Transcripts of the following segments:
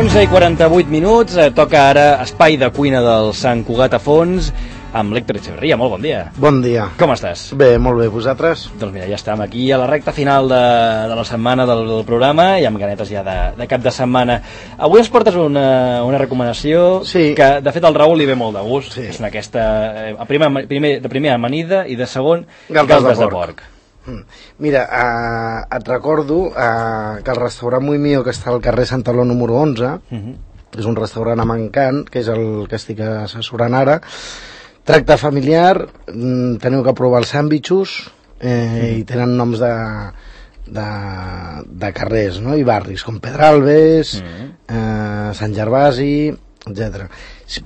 11:48, toca ara espai de cuina del Sant Cugat a Fons amb l'Héctor Echeverría. Molt bon dia. Bon dia. Com estàs? Bé, molt bé. Vosaltres? Doncs mira, ja estem aquí a la recta final de la setmana del programa i amb ganetes ja de cap de setmana. Avui ens portes una recomanació que, de fet, al Raül li ve molt de gust. Sí. És aquesta, de primer amanida i de segon galtes de porc. Mira, et recordo que el restaurant Muy Mío, que està al carrer Santaló número 11, és un restaurant amb encant, que és el que estic assessorant ara. Tracte familiar, teniu que provar els sàndwichos i tenen noms de carrers, no? I barris, com Pedralbes, Sant Gervasi, etc.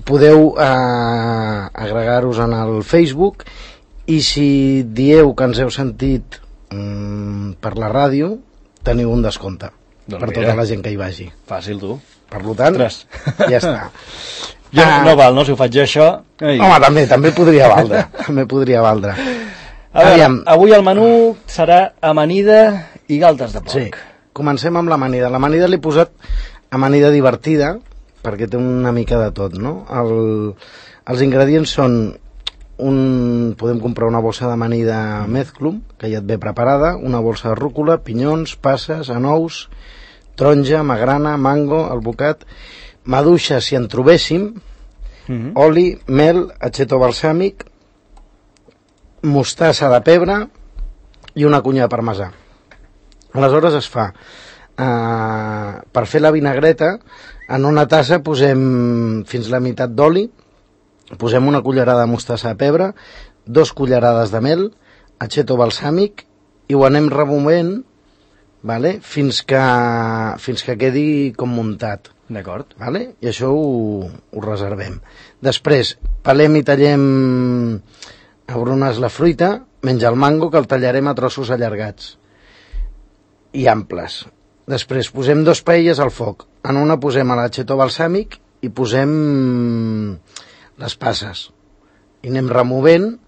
Podeu agregar-vos en el Facebook i si dieu que ens heu sentit per la ràdio, teniu un descompte per tota la gent que hi vagi. Fàcil, tu. Per tant, ja està. No val, no? Si ho faig jo, això... Home, també podria valdre. També podria valdre. A veure, avui el menú serà amanida i galtes de porc. Sí, comencem amb l'amanida. L'amanida l'he posat amanida divertida, perquè té una mica de tot, no? Els ingredients són podem comprar una bossa d'amanida Mezclum, que ja et ve preparada, una bossa de rúcula, pinyons, passes, anous, taronja, magrana, mango, albocat, maduixa si en trobéssim, oli, mel, aceto balsàmic, mostassa de pebre i una cunya de parmesà. Aleshores es fa, per fer la vinagreta, en una tassa posem fins la meitat d'oli, posem una cullerada de mostassa de pebre, 2 cullerades de mel, aceto balsàmic i ho anem removent, vale? fins que quedi com muntat. D'acord. Vale? I això ho reservem. Després, pelem i tallem a brunes la fruita, menys el mango, que el tallarem a trossos allargats i amples. Després posem 2 paelles al foc. En una posem l'aceto balsàmic i posem les passes. I anem removent,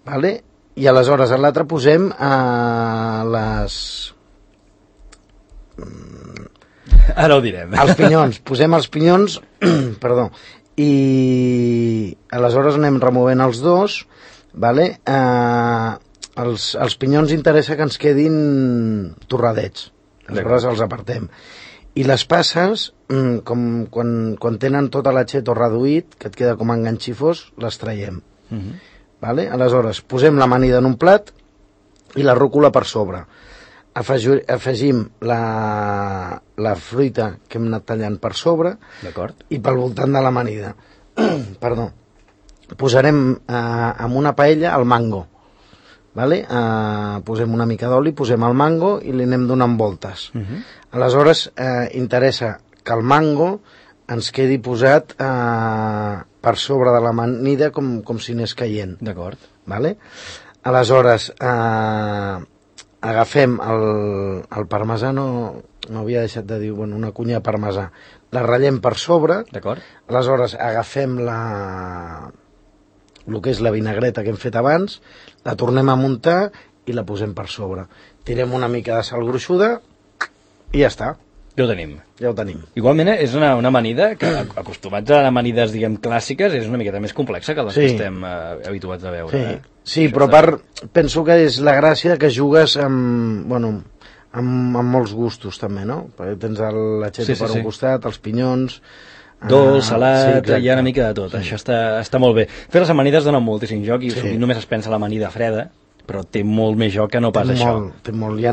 vale? I aleshores a l'altre posem les... Ara ho direm. Els pinyons. Posem els pinyons, perdó, i aleshores anem removent els dos, vale? Els pinyons interessa que ens quedin torradets, aleshores els apartem. I les passes, quan tenen tot l'aceto reduït, que et queda com enganxifós, les traiem. Vale? Aleshores, posem l'amanida en un plat i la rúcula per sobre. Afegim la fruita que hem anat tallant per sobre i pel voltant de l'amanida. Perdó. Posarem en una paella el mango. Vale? Posem una mica d'oli, posem el mango i li anem donant voltes. Aleshores interessa que el mango ens quedi posat per sobre de l'amanida com si anés caient. D'acord. Vale? Aleshores agafem el parmesà, no havia deixat de dir, una cunya de parmesà, la ratllem per sobre. D'acord. Aleshores agafem el que és la vinagreta que hem fet abans, la tornem a muntar i la posem per sobre. Tirem una mica de sal gruixuda i ja està. Ja ho tenim. Ja ho tenim. Igualment és una amanida que, acostumats a amanides, diguem, clàssiques, és una miqueta més complexa que les que estem habituats a veure. Sí, però penso que és la gràcia que jugues amb molts gustos també, no? Perquè tens l'aceto per un costat, els pinyons... Dolç, salat, hi ha una mica de tot. Això està molt bé. Fer les amanides donen moltíssim joc i només es pensa l'amanida freda, però té molt més joc que no pas això. Té molt. Hi ha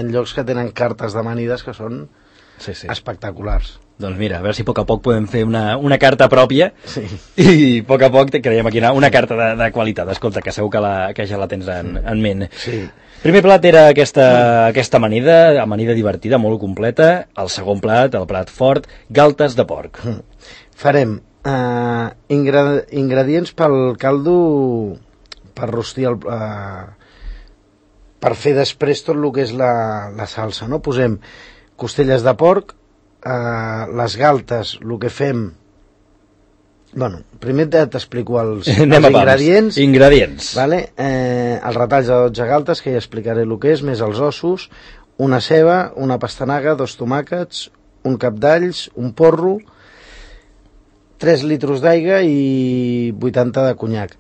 llocs que tenen cartes d'amanides que són espectaculars. Doncs mira, a veure si a poc podem fer una carta pròpia i a poc creiem aquí una carta de qualitat. Escolta, que segur que ja la tens en ment. Sí. Primer plat era aquesta amanida divertida, molt completa. El segon plat, el plat fort, galtes de porc. Farem ingredients pel caldo per rostir per fer després tot el que és la salsa, no? Posem costelles de porc, les galtes, el que fem... primer t'explico els ingredients. Ingredients. Vale? Els retalls de 12 galtes, que ja explicaré el que és, més els ossos, una ceba, una pastanaga, 2 tomàquets, un cap d'alls, un porro, 3 litros d'aigua i 80 de conyac.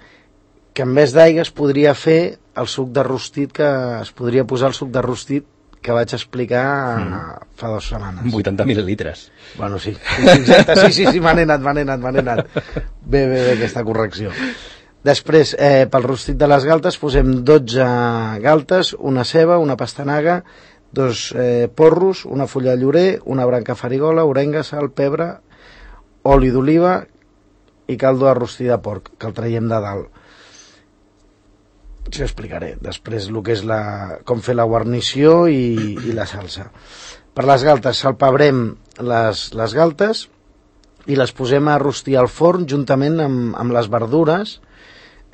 Que en vez d'aigua es podria fer el suc de rostit, que es podria posar el suc de rostit que vaig explicar fa 2 setmanes. 80 mil·lilitres. Bueno, sí. Exacte, sí, me n'he anat. Bé, aquesta correcció. Després, pel rostit de les galtes, posem 12 galtes, una ceba, una pastanaga, 2 porros, una fulla de llorer, una branca farigola, orenga, sal, pebre, oli d'oliva i caldo de rostir de porc, que el traiem de dalt. Això explicaré. Després el que és com fer la guarnició i la salsa. Per les galtes salpebrem les galtes i les posem a rostir al forn juntament amb les verdures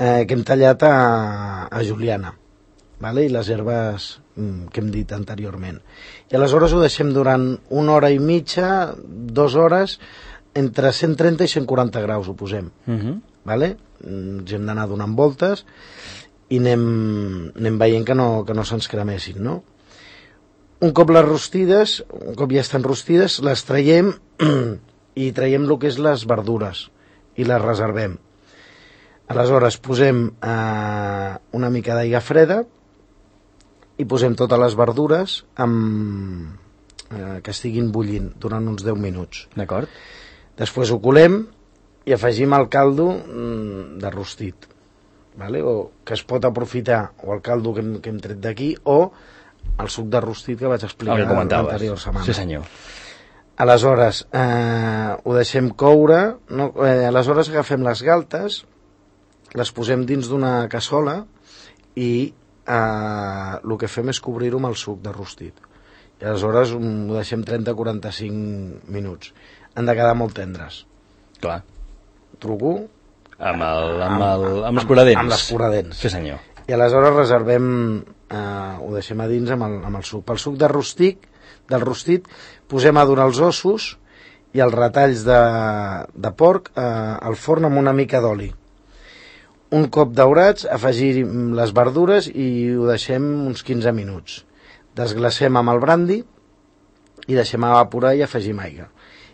que hem tallat a juliana, vale? I les herbes que hem dit anteriorment. I aleshores ho deixem durant 1 hora i mitja, 2 hores, entre 130 i 140 graus ho posem. Vale? Ens hem d'anar donant voltes i anem veient que no se'ns cremessin, no? Un cop les rostides, un cop ja estan rostides, les traiem i traiem el que és les verdures i les reservem. Aleshores posem una mica d'aigua freda i posem totes les verdures que estiguin bullint durant uns 10 minuts. D'acord. Després ho colem i afegim el caldo de rostit, vale? O que es pot aprofitar o el caldo que hem tret d'aquí o el suc de rostit que vaig explicar l'anterior setmana. Sí, senyor. Aleshores ho deixem coure, aleshores agafem les galtes, les posem dins d'una cassola i el que fem és cobrir-ho amb el suc de rostit. I aleshores ho deixem 30-45 minuts. Han de quedar molt tendres. Clar. Truco amb l'escuradents. Amb l'escuradents. Sí, senyor. I aleshores reservem, ho deixem a dins amb el suc. Pel suc del rostit posem a donar els ossos i els retalls de porc al forn amb una mica d'oli. Un cop daurats, afegir les verdures i ho deixem uns 15 minuts. Desglacem amb el brandi i deixem evaporar i afegim aigua.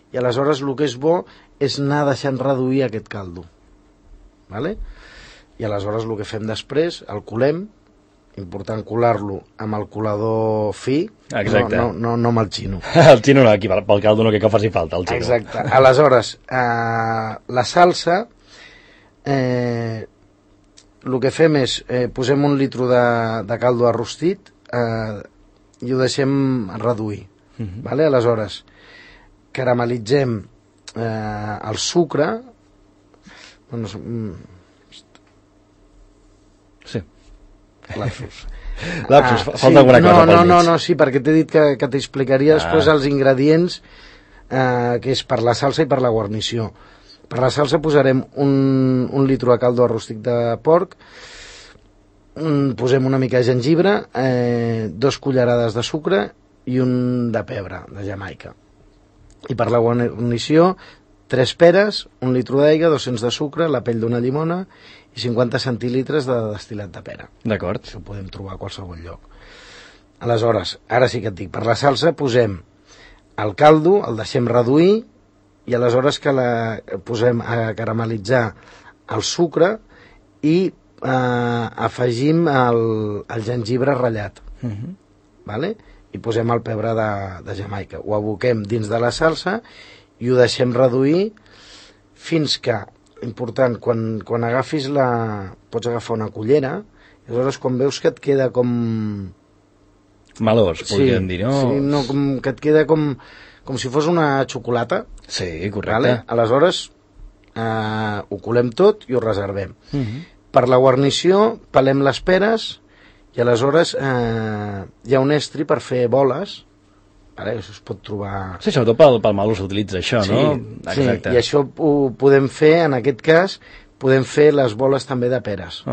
I aleshores el que és bo és anar deixant reduir aquest caldo. Vale? I aleshores el que fem després, el colem, important colar-lo amb el colador fi. Exacte. No amb el xino. El xino no, aquí pel caldo no que faci falta, el xino. Exacte. Aleshores, la salsa, el que fem és, posem 1 litre de caldo de rostit i ho deixem reduir. Vale? Aleshores, caramelitzem el sucre. Sí. Lapsus, falta alguna cosa pel mig. No, sí, perquè t'he dit que t'explicaria després els ingredients que és per la salsa i per la guarnició. Per la salsa posarem un litre de caldo de rostit de porc, posem una mica de gengibre, 2 cullerades de sucre i un de pebre, de Jamaica. I per la guarnició, 3 peres, 1 litre d'aigua, 200 de sucre, la pell d'una llimona i 50 centilitres de destil·lat de pera. D'acord. Això ho podem trobar a qualsevol lloc. Aleshores, ara sí que et dic, per la salsa posem el caldo, el deixem reduir i aleshores que posem a caramelitzar el sucre i afegim el gengibre ratllat. Vale? I posem el pebre de Jamaica. Ho aboquem dins de la salsa i ho deixem reduir fins que, important, quan agafis pots agafar una cullera, i aleshores quan veus que et queda com... Malós, podríem dir, no? Sí, no, que et queda com si fos una xocolata. Sí, correcte. Vale? Aleshores ho colem tot i ho reservem. Per la guarnició pelem les peres i aleshores hi ha un estri per fer boles. Vale? Això es pot trobar... Sí, sobretot pel maló s'utilitza això, sí, no? Exacte. Sí, i això ho podem fer, en aquest cas, podem fer les boles també de peres.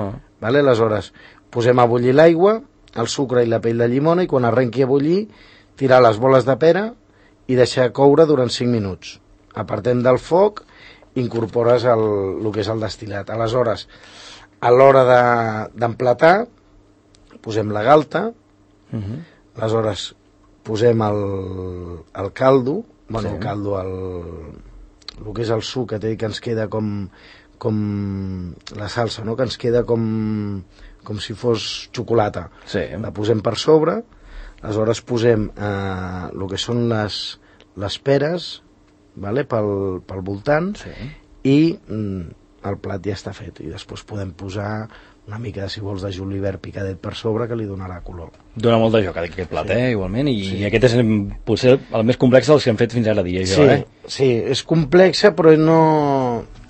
Vale? Aleshores, posem a bullir l'aigua, el sucre i la pell de llimona i quan arrenqui a bullir, tirar les boles de pera i deixar coure durant 5 minuts. Apartem del foc, incorpores el que és el destil·lat. Aleshores, a l'hora d'emplatar, posem la galta, aleshores posem el caldo Bueno, el caldo, el que és el suc, que ens queda com la salsa, no? Que ens queda com si fos xocolata. Sí. La posem per sobre, aleshores posem el que són les peres, vale? pel voltant, sí. I el plat ja està fet, i després podem posar una mica, si vols, de julivert picadet per sobre, que li donarà color. Dona molt de joc aquest plat, sí. Igualment, i aquest és potser el més complex dels que hem fet fins ara dia, jo, Sí, és complexa, però no...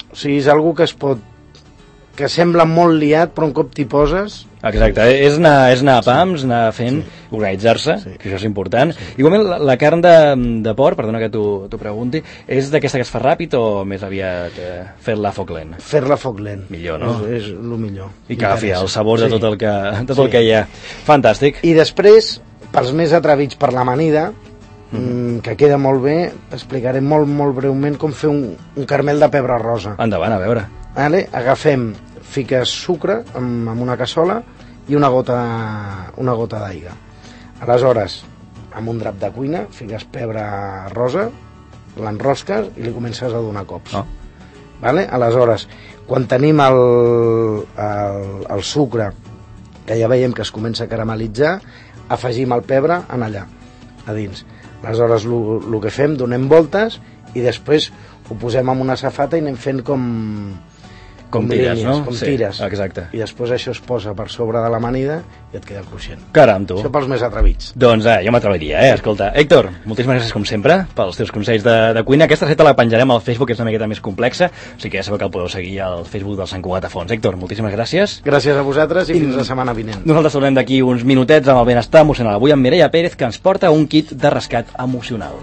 O sigui, és algo que sembla molt liat, però un cop t'hi poses... Exacte, és anar a pams, anar fent, organitzar-se, que això és important. Igualment, la carn de porc, perdona que t'ho pregunti, és d'aquesta que es fa ràpid o més aviat fer-la a foc lent? Fer-la a foc lent. Millor, no? És el millor. I que agafi el sabor de tot el que hi ha. Fantàstic. I després, pels més atrevits per l'amanida, que queda molt bé, explicaré molt, molt breument com fer un caramel de pebre rosa. Endavant, a veure. Vale? Fiques sucre amb una cassola i una gota d'aigua. Aleshores, amb un drap de cuina, fiques pebre rosa, l'enrosques i li comences a donar cops. Vale? Aleshores, quan tenim el sucre, que ja veiem que es comença a caramelitzar, afegim el pebre en allà, a dins. Aleshores, el que fem, donem voltes i després ho posem en una safata i anem fent com tires, no? Com tires. Exacte. I després això es posa per sobre de l'amanida i et queda cruixent. Caram, tu. Això pels més atrevits. Doncs jo m'atreviria, Escolta, Héctor, moltíssimes gràcies com sempre pels teus consells de cuina. Aquesta receta la penjarem al Facebook, que és una miqueta més complexa, o sigui que ja sabeu que el podeu seguir al Facebook del Sant Cugat a Fons. Héctor, moltíssimes gràcies. Gràcies a vosaltres i fins la setmana vinent. Nosaltres tornem d'aquí uns minutets amb el benestar emocional. Avui amb Mireia Pérez, que ens porta un kit de rescat emocional.